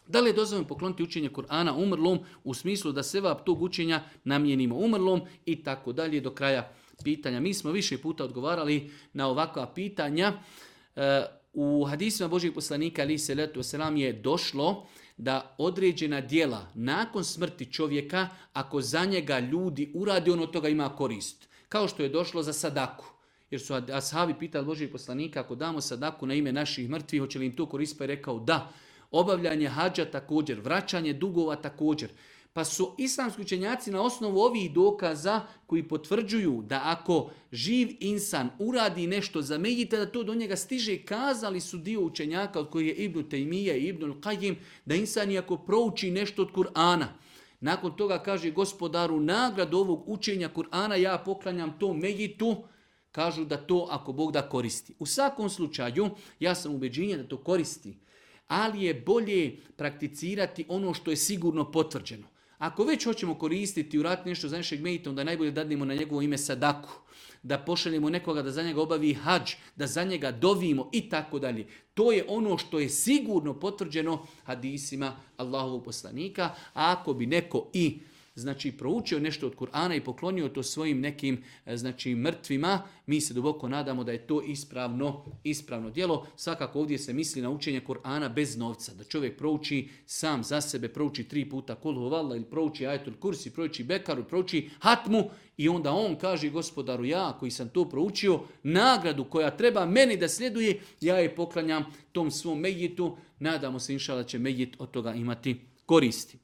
Da li je dozvoljeno pokloniti učenje Kur'ana umrlom u smislu da sevap tog učenja namijenimo umrlom i tako dalje do kraja pitanja. Mi smo više puta odgovarali na ovakva pitanja. U hadisima Božjeg poslanika ali se letu selam je došlo da određena djela nakon smrti čovjeka, ako za njega ljudi uradi, on od toga ima korist. Kao što je došlo za sadaku. Jer su ashabi pitali Božjeg poslanika, ako damo sadaku na ime naših mrtvih, hoće li im to korist? Pa je rekao da. Obavljanje hadža također, vraćanje dugova također. Pa su islamski učenjaci na osnovu ovih dokaza koji potvrđuju da ako živ insan uradi nešto za mejita, da to do njega stiže, kazali su dio učenjaka od koji je Ibn Taymije i Ibn Al-Qajim, da insan iako prouči nešto od Kur'ana, nakon toga kaže gospodaru nagradu ovog učenja Kur'ana ja poklanjam to mejitu, kažu da to ako Bog da koristi. U svakom slučaju ja sam ubeđenja da to koristi, ali je bolje prakticirati ono što je sigurno potvrđeno. Ako već hoćemo koristiti i uraditi nešto za našeg mejita, onda je najbolje da dadnemo na njegovo ime sadaku, da pošaljemo nekoga da za njega obavi hadž, da za njega dovimo i tako dalje. To je ono što je sigurno potvrđeno hadisima Allahovog poslanika, a ako bi neko i proučio nešto od Kur'ana i poklonio to svojim nekim mrtvima, mi se duboko nadamo da je to ispravno djelo. Svakako ovdje se misli na učenje Kur'ana bez novca, da čovjek prouči sam za sebe, prouči 3 puta Kul huvallah ili prouči Ajetul Kursi, prouči Bekaru, prouči Hatmu i onda on kaže gospodaru ja koji sam to proučio, nagradu koja treba meni da sljeduje, ja je poklanjam tom svom mejitu, nadamo se inšallah da će mejit od toga imati koristi.